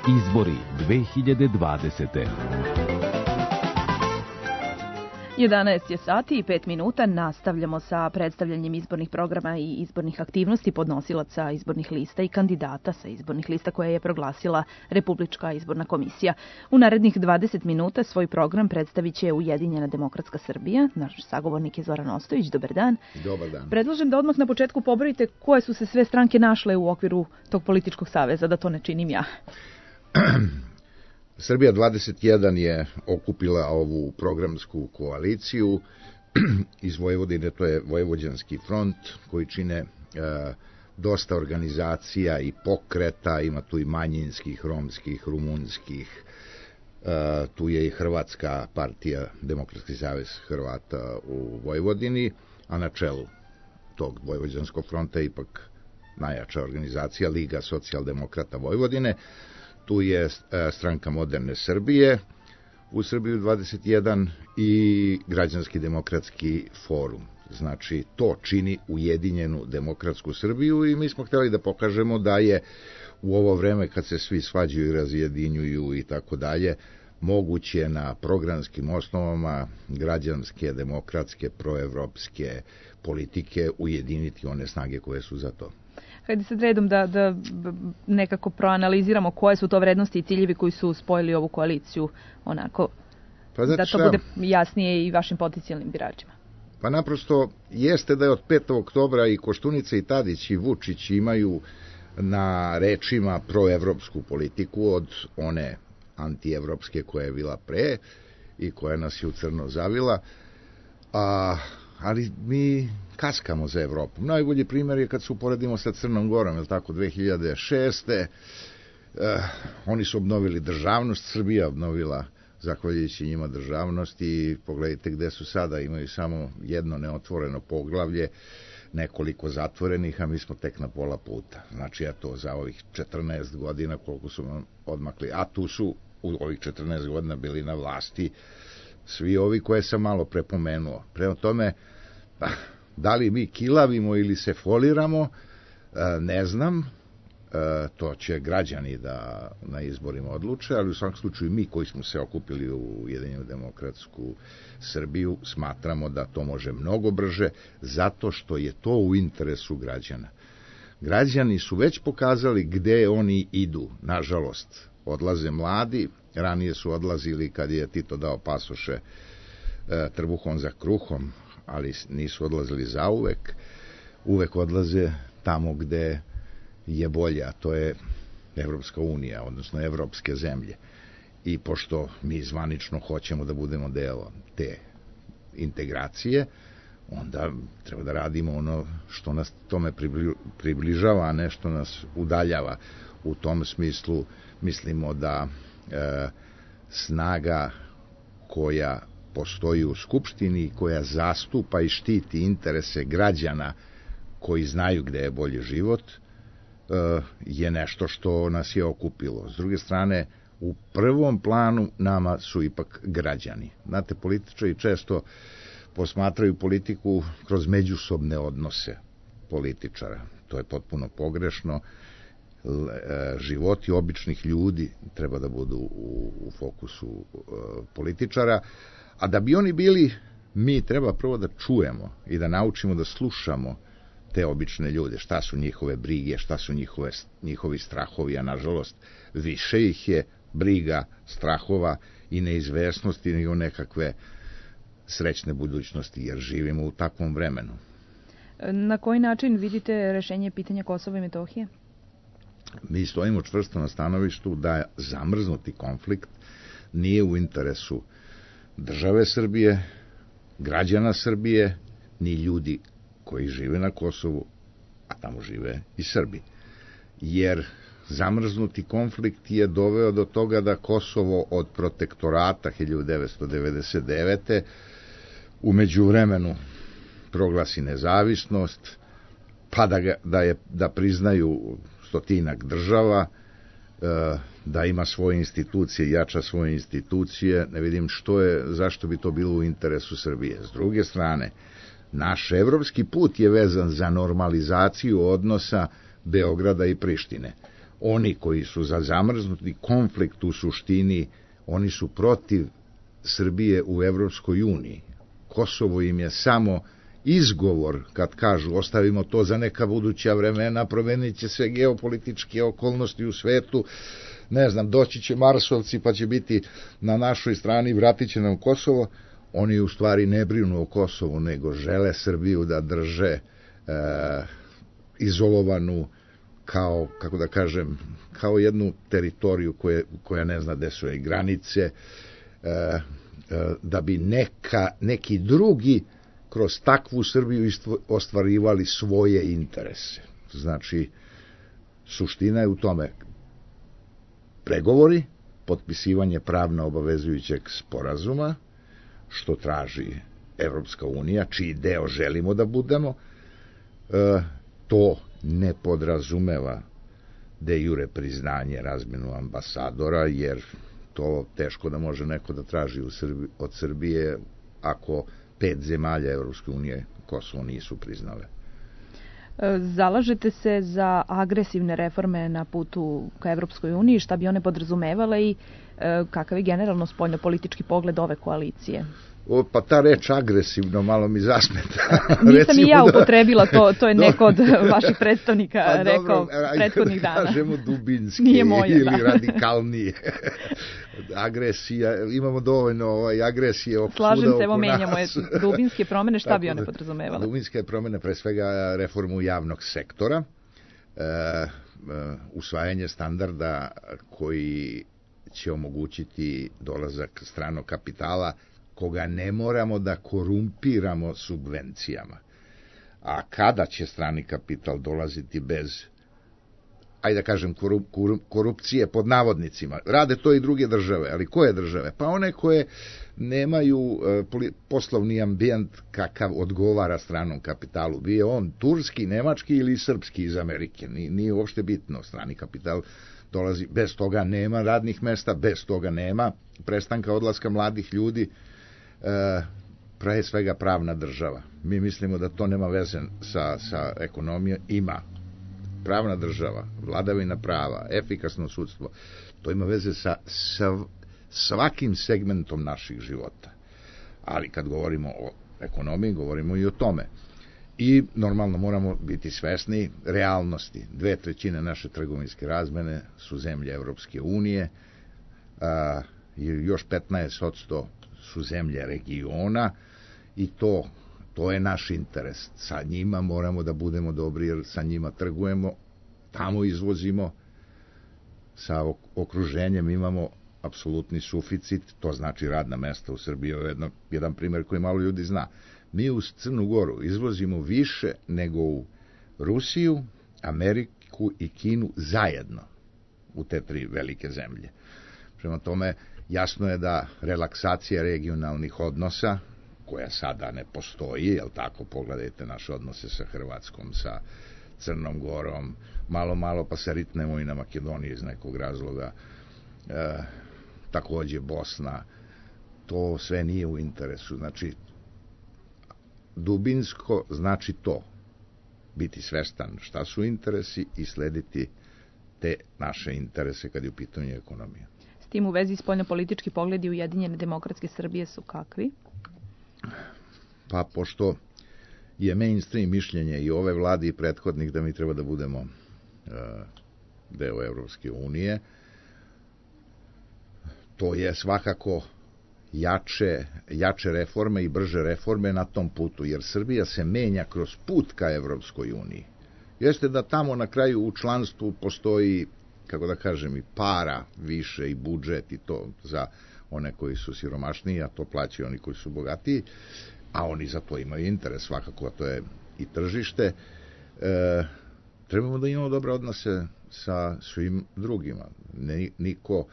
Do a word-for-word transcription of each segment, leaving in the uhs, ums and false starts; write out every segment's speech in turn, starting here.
Izbori dve hiljade dvadesete. jedanaest je sati i pet minuta. Nastavljamo sa predstavljanjem izbornih programa i izbornih aktivnosti podnosilaca izbornih lista i kandidata sa izbornih lista koje je proglasila Republička izborna komisija. U narednih dvadeset minuta svoj program predstavit će Ujedinjena demokratska Srbija. Naš sagovornik je Zoran Ostojić. Dobar dan. Dobar dan. Predlažem da odmah na početku pobrojite koje su se sve stranke našle u okviru tog političkog saveza, da to ne činim ja. Srbija dvadeset jedan je okupila ovu programsku koaliciju iz Vojvodine, to je Vojvođanski front, koji čine e, dosta organizacija i pokreta, ima tu i manjinskih, romskih, rumunskih, e, tu je i Hrvatska partija, Demokratski savez Hrvata u Vojvodini, a na čelu tog Vojvođanskog fronta je ipak najjača organizacija, Liga socijaldemokrata Vojvodine. Tu je Stranka moderne Srbije u Srbiju dvadeset jedan i Građanski demokratski forum. Znači, to čini Ujedinjenu demokratsku Srbiju i mi smo htjeli da pokažemo da je u ovo vreme kad se svi svađaju i razjedinjuju i tako dalje, moguće na programskim osnovama građanske, demokratske, proevropske politike ujediniti one snage koje su za to. Hajde sad redom da, da nekako proanaliziramo koje su to vrednosti i ciljevi koji su spojili ovu koaliciju, onako, pa da to bude jasnije i vašim potencijalnim biračima. Pa naprosto jeste da je od petog oktobra i Koštunica i Tadić i Vučić imaju na rečima proevropsku politiku od one antievropske koja je bila pre i koja nas je u crno zavila, a ali mi kaskamo za Evropom. Najbolji primjer je kad se uporedimo sa Crnom Gorom, je li tako, dve hiljade šeste. Eh, oni su obnovili državnost, Srbija obnovila, zahvaljujući njima, državnost i pogledajte gde su sada, imaju samo jedno neotvoreno poglavlje, nekoliko zatvorenih, a mi smo tek na pola puta. Znači, eto, za ovih četrnaest godina koliko su odmakli, a tu su u ovih četrnaest godina bili na vlasti svi ovi koje sam malo prepomenuo. Prema tome, da li mi kilavimo ili se foliramo, ne znam, to će građani da na izborima odluče, ali u svakom slučaju mi koji smo se okupili u Ujedinjenu demokratsku Srbiju smatramo da to može mnogo brže, zato što je to u interesu građana. Građani su već pokazali gde oni idu, nažalost. Odlaze mladi, ranije su odlazili kad je Tito dao pasoše e, trbuhom za kruhom, ali nisu odlazili zauvek, uvek odlaze tamo gde je bolje, a to je Evropska unija, odnosno evropske zemlje. I pošto mi zvanično hoćemo da budemo deo te integracije, onda treba da radimo ono što nas tome približava, a ne što nas udaljava. U tom smislu mislimo da e, snaga koja postoji u Skupštini, koja zastupa i štiti interese građana koji znaju gde je bolji život, e, je nešto što nas je okupilo. S druge strane, u prvom planu nama su ipak građani. Znate, političari često posmatraju politiku kroz međusobne odnose političara. To je potpuno pogrešno. Životi običnih ljudi treba da budu u, u fokusu e, političara, a da bi oni bili, mi treba prvo da čujemo i da naučimo da slušamo te obične ljude, šta su njihove brige, šta su njihove, njihovi strahovi, a nažalost više ih je briga, strahova i neizvesnosti nego nekakve srećne budućnosti, jer živimo u takvom vremenu. Na koji način vidite rešenje pitanja Kosova i Metohije? Mi stojimo čvrsto na stanovištu da zamrznuti konflikt nije u interesu države Srbije, građana Srbije, ni ljudi koji žive na Kosovu, a tamo žive i Srbi. Jer zamrznuti konflikt je doveo do toga da Kosovo od protektorata hiljadu devetsto devedeset devete u međuvremenu proglasi nezavisnost, pa da, ga, da, je, da priznaju stotinak država, da ima svoje institucije, jača svoje institucije, ne vidim što je, zašto bi to bilo u interesu Srbije. S druge strane, naš evropski put je vezan za normalizaciju odnosa Beograda i Prištine. oni koji su za zamrznuti konflikt u suštini, oni su protiv Srbije u Evropskoj uniji. Kosovo im je samo izgovor kad kažu ostavimo to za neka buduća vremena, promenit će se geopolitičke okolnosti u svetu, ne znam, doći će Marsovci pa će biti na našoj strani, vratit će nam Kosovo. Oni u stvari ne brinu o Kosovu, nego žele Srbiju da drže e, izolovanu kao, kako da kažem, kao jednu teritoriju koje, koja ne zna gde su joj granice, e, e, da bi neka, neki drugi kroz takvu Srbiju ostvarivali svoje interese. Znači, suština je u tome pregovori, potpisivanje pravno obavezujućeg sporazuma, što traži Evropska unija, čiji deo želimo da budemo, e, to ne podrazumeva de jure priznanje, razmenu ambasadora, jer to teško da može neko da traži u Srbi, od Srbije ako pet zemalja Evropske unije Kosovo nisu priznale. Zalažete se za agresivne reforme na putu ka Evropskoj uniji, šta bi one podrazumevale i e, kakav je generalno spoljnopolitički pogled ove koalicije? O, pa ta reč agresivno malo mi zasmeta. Nisam i ja upotrebila to, to je neko od vaših predstavnika pa, rekao dobro, prethodnih dana. Kažemo dubinski Nije moje, ili da. radikalnije. Agresija, imamo dovoljno ovaj, agresije oko Slažem svuda se, evo oko menjamo je dubinske promene, šta bi one da, podrazumevale? Dubinske promene, pre svega reformu javnog sektora, e, e, usvajanje standarda koji će omogućiti dolazak stranog kapitala koga ne moramo da korumpiramo subvencijama. A kada će strani kapital dolaziti bez, ajde da kažem, korup, korupcije pod navodnicima? Rade to i druge države, ali koje države? Pa one koje nemaju e, poslovni ambijent kakav odgovara stranom kapitalu. Bio on turski, nemački ili srpski iz Amerike. Nije, nije uopšte bitno. Strani kapital dolazi, bez toga nema radnih mesta, bez toga nema prestanka odlaska mladih ljudi. E, pre svega pravna država. Mi mislimo da to nema veze sa, sa ekonomijom. Ima. Pravna država, vladavina prava, efikasno sudstvo, to ima veze sa, sa svakim segmentom naših života. Ali kad govorimo o ekonomiji, govorimo i o tome. I normalno moramo biti svesni realnosti. Dve trećine naše trgovinske razmene su zemlje Evropske unije, a, i još petnaest posto su zemlje regiona i to, to je naš interes. Sa njima moramo da budemo dobri jer sa njima trgujemo, tamo izvozimo, sa okruženjem imamo apsolutni suficit, to znači radna mesta u Srbiji. Jedno, jedan primjer koji malo ljudi zna. Mi u Crnu Goru izvozimo više nego u Rusiju, Ameriku i Kinu zajedno u te tri velike zemlje. Prema tome, jasno je da relaksacija regionalnih odnosa, koja sada ne postoji, jel tako, pogledajte naše odnose sa Hrvatskom, sa Crnom Gorom, malo, malo pa se ritnemo i na Makedoniji iz nekog razloga, e, takođe Bosna, to sve nije u interesu. Znači, dubinsko znači to, biti svestan šta su interesi i slediti te naše interese kad je u pitanju ekonomija. S tim u vezi spoljnopolitički pogledi Ujedinjene demokratske Srbije su kakvi? Pa pošto je mainstream mišljenje i ove vlade i prethodnih da mi treba da budemo uh, deo Evropske unije, to je svakako jače, jače reforme i brže reforme na tom putu, jer Srbija se menja kroz put ka Evropskoj uniji. Jeste da tamo na kraju u članstvu postoji, kako da kažem, i para više i budžet i to za one koji su siromašniji, a to plaćaju oni koji su bogatiji, a oni za to imaju interes, svakako, a to je i tržište. E, trebamo da imamo dobre odnose sa svim drugima. Ne, niko,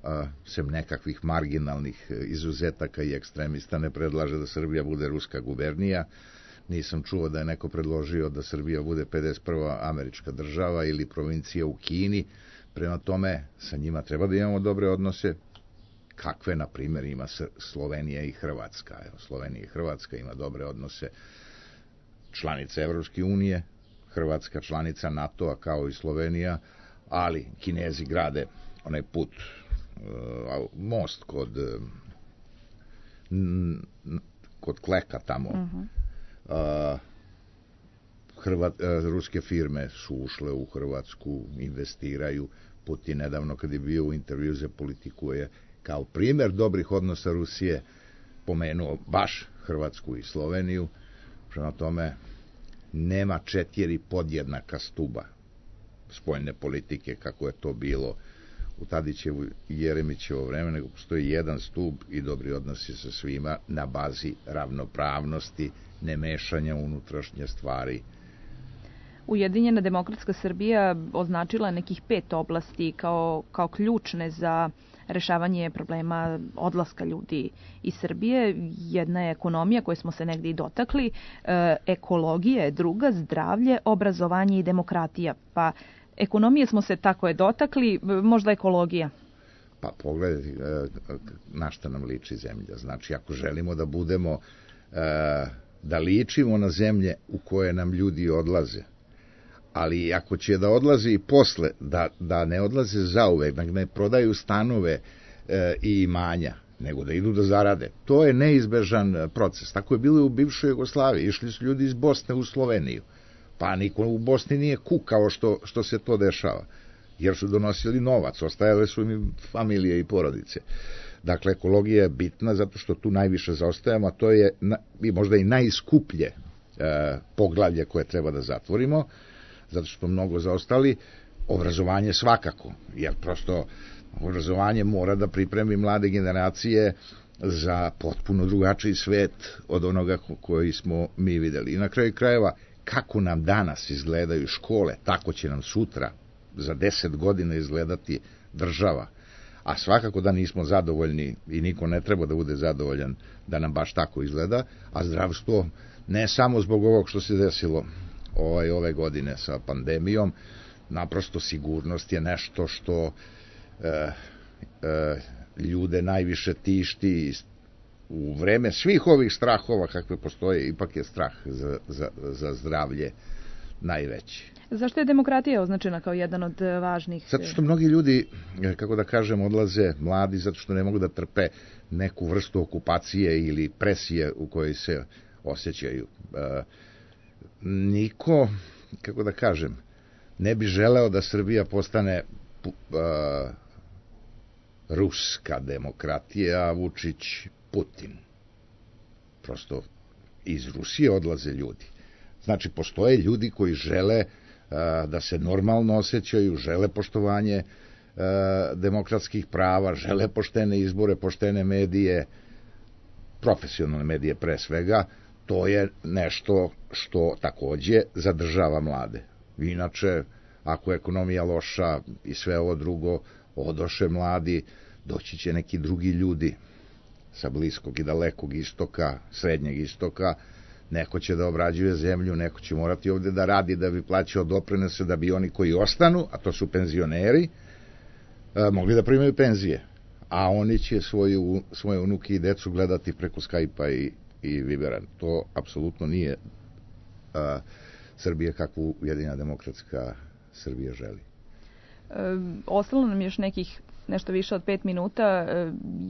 a, sem nekakvih marginalnih izuzetaka i ekstremista, ne predlaže da Srbija bude ruska gubernija. Nisam čuo da je neko predložio da Srbija bude pedeset prva američka država ili provincija u Kini. Prema tome, sa njima treba da imamo dobre odnose, kakve, na primjer, ima Slovenija i Hrvatska. Evo, Slovenija i Hrvatska ima dobre odnose, članica Evropske unije, Hrvatska članica NATO-a kao i Slovenija, ali Kinezi grade onaj put, most kod kod Kleka tamo. Uh-huh. Hrvat, ruske firme su ušle u Hrvatsku, investiraju. Putin nedavno kad je bio u intervju za Politiku je kao primjer dobrih odnosa Rusije pomenuo baš Hrvatsku i Sloveniju. Prema tome nema četiri podjednaka stuba spoljne politike kako je to bilo u Tadićevu i Jeremićevo vreme, nego postoji jedan stub i dobri odnosi sa svima na bazi ravnopravnosti, ne mešanja unutrašnje stvari. Ujedinjena demokratska Srbija označila nekih pet oblasti kao, kao ključne za rešavanje problema odlaska ljudi iz Srbije. Jedna je ekonomija koju smo se negdje i dotakli, e, ekologija je druga, zdravlje, obrazovanje i demokratija. Pa ekonomije smo se tako je dotakli, možda ekologija. Pa pogledajte na šta nam liči zemlja. Znači, ako želimo da budemo, da ličimo na zemlje u koje nam ljudi odlaze, ali ako će da odlaze i posle, da, da ne odlaze zauvek, da ne prodaju stanove i imanja, nego da idu da zarade. To je neizbežan proces. Tako je bilo u bivšoj Jugoslaviji. Išli su ljudi iz Bosne u Sloveniju. Pa niko u Bosni nije kukao što, što se to dešava, jer su donosili novac, ostajale su im familije i porodice. Dakle, ekologija je bitna zato što tu najviše zaostajemo, a to je na, i možda i najskuplje e, poglavlje koje treba da zatvorimo, zato što mnogo zaostali. Obrazovanje svakako, jer prosto obrazovanje mora da pripremi mlade generacije za potpuno drugačiji svet od onoga koji smo mi videli. I na kraju krajeva, kako nam danas izgledaju škole, tako će nam sutra, za deset godina izgledati država. A svakako da nismo zadovoljni i niko ne treba da bude zadovoljan da nam baš tako izgleda, a zdravstvo ne samo zbog ovog što se desilo ovaj, ove godine sa pandemijom, naprosto sigurnost je nešto što e, e, ljude najviše tišti. U vreme svih ovih strahova kakve postoje, ipak je strah za, za, za zdravlje najveći. Zašto je demokratija označena kao jedan od važnih? Zato što mnogi ljudi, kako da kažem, odlaze mladi zato što ne mogu da trpe neku vrstu okupacije ili presije u kojoj se osjećaju. E, niko, kako da kažem, ne bi želeo da Srbija postane e, ruska demokratija, a Vučić Putin. Prosto iz Rusije odlaze ljudi. Znači, postoje ljudi koji žele a, da se normalno osjećaju, žele poštovanje a, demokratskih prava, žele poštene izbore, poštene medije, profesionalne medije pre svega. To je nešto što takođe zadržava mlade. Inače, ako je ekonomija loša i sve ovo drugo, odoše mladi, doći će neki drugi ljudi sa bliskog i dalekog istoka, srednjeg istoka, neko će da obrađuje zemlju, neko će morati ovde da radi da bi plaćao doprinose, da bi oni koji ostanu, a to su penzioneri, mogli da primaju penzije. A oni će svoju, svoje unuke i decu gledati preko Skype-a i, i Vibera. To apsolutno nije a, Srbija kakvu Ujedinjena demokratska Srbija želi. E, ostalo nam još nekih nešto više od pet minuta.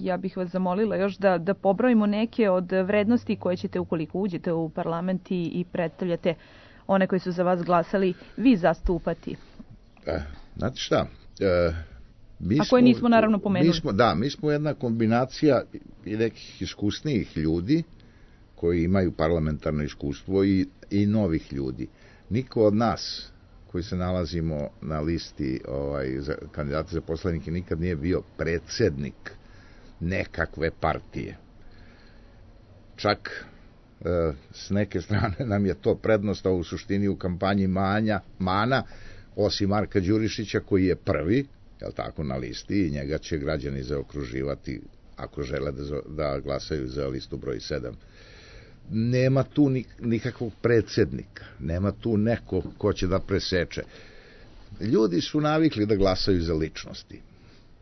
Ja bih vas zamolila još da, da pobrojimo neke od vrednosti koje ćete, ukoliko uđete u parlament i, i predstavljate one koji su za vas glasali, vi zastupati. E, znate šta? E, mi A koje smo, nismo naravno pomenuli. Mi smo, da, mi smo jedna kombinacija i nekih iskusnijih ljudi koji imaju parlamentarno iskustvo i, i novih ljudi. Niko od nas koji se nalazimo na listi ovaj, za kandidata za poslanike nikad nije bio predsednik nekakve partije. Čak e, s neke strane nam je to prednost, a u suštini u kampanji manja, mana, osim Marka Đurišića koji je prvi, jel tako, na listi i njega će građani zaokruživati ako žele da, da glasaju za listu broj sedam. Nema tu nikakvog predsednika, nema tu neko ko će da preseče. Ljudi su navikli da glasaju za ličnosti.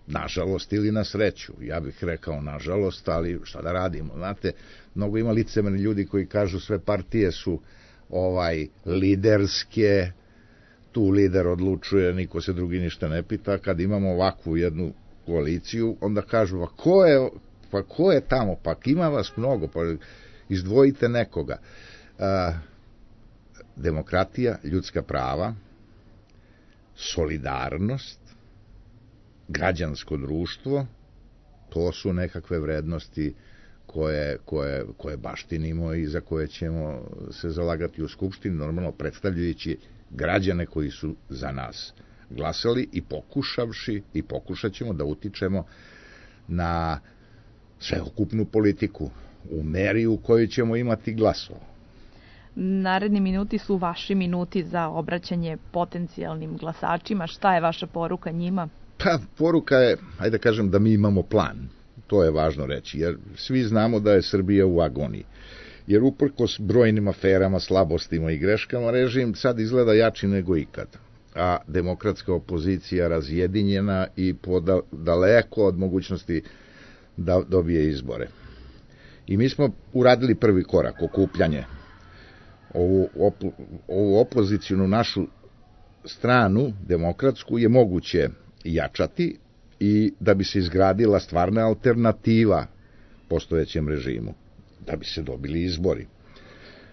Nažalost ili na sreću. Ja bih rekao nažalost, ali šta da radimo? Znate, mnogo ima licemerni ljudi koji kažu sve partije su ovaj liderske. tu lider odlučuje, niko se drugi ništa ne pita. Kad imamo ovakvu jednu koaliciju, onda kažu, pa ko je, pa ko je tamo, pa ima vas mnogo, pa izdvojite nekoga. A, demokratija, ljudska prava, solidarnost, građansko društvo, to su nekakve vrednosti koje, koje, koje baštinimo i za koje ćemo se zalagati u Skupštini, normalno predstavljajući građane koji su za nas glasali i pokušavši i pokušat ćemo da utičemo na sveukupnu politiku u meri u kojoj ćemo imati glasova. Naredni minuti su vaši minuti za obraćanje potencijalnim glasačima. Šta je vaša poruka njima? Pa, poruka je, ajde da kažem, da mi imamo plan. To je važno reći, jer svi znamo da je Srbija u agoniji. Jer uprkos brojnim aferama, slabostima i greškama, režim sad izgleda jači nego ikad. A demokratska opozicija razjedinjena i poda, daleko od mogućnosti da dobije izbore. I mi smo uradili prvi korak, okupljanje. Ovu, op, ovu opozicijnu našu stranu, demokratsku, je moguće jačati i da bi se izgradila stvarna alternativa postojećem režimu, da bi se dobili izbori.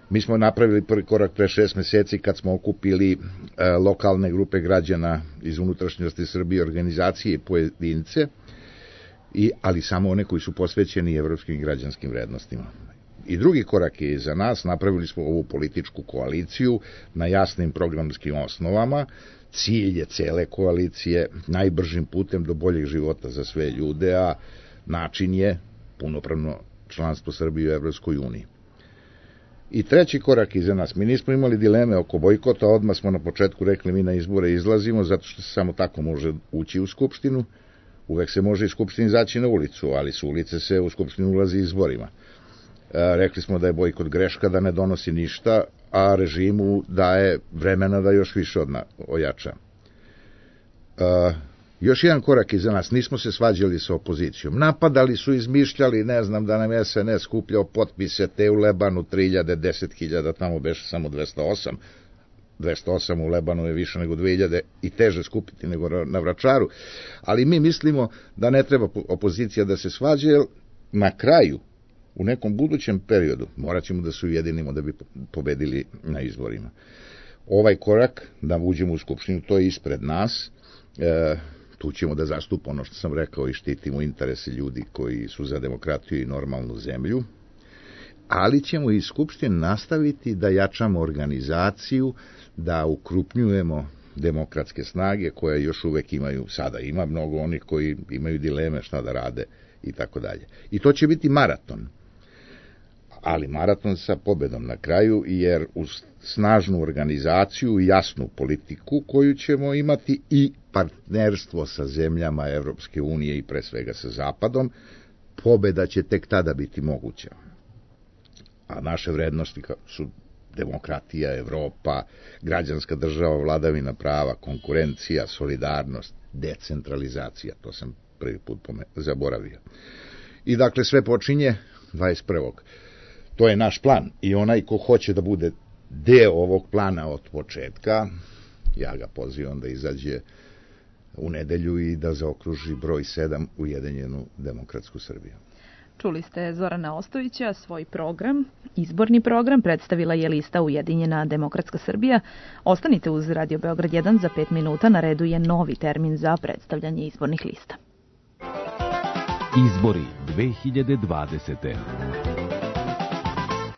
Mi smo napravili prvi korak pre šest meseci kad smo okupili e, lokalne grupe građana iz unutrašnjosti Srbije, organizacije i pojedince, i, ali samo one koji su posvećeni evropskim građanskim vrednostima. I drugi korak je za nas, napravili smo ovu političku koaliciju na jasnim programskim osnovama. Cilj je cele koalicije najbržim putem do boljeg života za sve ljude, a način je punopravno članstvo Srbije u Evropskoj uniji. I treći korak iza nas. Mi nismo imali dileme oko bojkota, odmah smo na početku rekli mi na izbore izlazimo, zato što se samo tako može ući u Skupštinu. Uvek se može iz Skupštine izaći na ulicu, ali s ulice se u Skupštinu ulazi izborima. E, rekli smo da je bojkot greška, da ne donosi ništa, a režimu daje vremena da još više odna, ojača. E, još jedan korak iza nas, nismo se svađali sa opozicijom. Napadali su, izmišljali, ne znam, da nam es en es skupljao potpise, te u Lebanu tri hiljade, deset hiljada, tamo beše samo dvesta osam. dvesta osam u Lebanu je više nego dve hiljade i teže skupiti nego na Vračaru. Ali mi mislimo da ne treba opozicija da se svađa, jer na kraju, u nekom budućem periodu, morat ćemo da se ujedinimo da bi pobedili na izborima. Ovaj korak, da uđemo u Skupštinu, to je ispred nas. E, tu ćemo da zastupa ono što sam rekao i štitimo interese ljudi koji su za demokratiju i normalnu zemlju. Ali ćemo iz Skupštine nastaviti da jačamo organizaciju, da ukrupnjujemo demokratske snage koje još uvek imaju, sada ima mnogo onih koji imaju dileme šta da rade i tako dalje. I to će biti maraton. Ali maraton sa pobedom na kraju, jer uz snažnu organizaciju i jasnu politiku koju ćemo imati i partnerstvo sa zemljama Evropske unije i pre svega sa Zapadom, pobeda će tek tada biti moguća. A naše vrednosti su demokratija, Evropa, građanska država, vladavina prava, konkurencija, solidarnost, decentralizacija, to sam prvi put zaboravio. I dakle sve počinje dvadeset prvog To je naš plan i onaj ko hoće da bude deo ovog plana od početka, ja ga pozivam da izađe u nedelju i da zaokruži broj sedam Ujedinjenu demokratsku Srbiju. Čuli ste Zorana Ostojića, svoj program, izborni program, predstavila je lista Ujedinjena demokratska Srbija. Ostanite uz Radio Beograd jedan, za pet minuta na redu je novi termin za predstavljanje izbornih lista. Izbori dve hiljade dvadesete.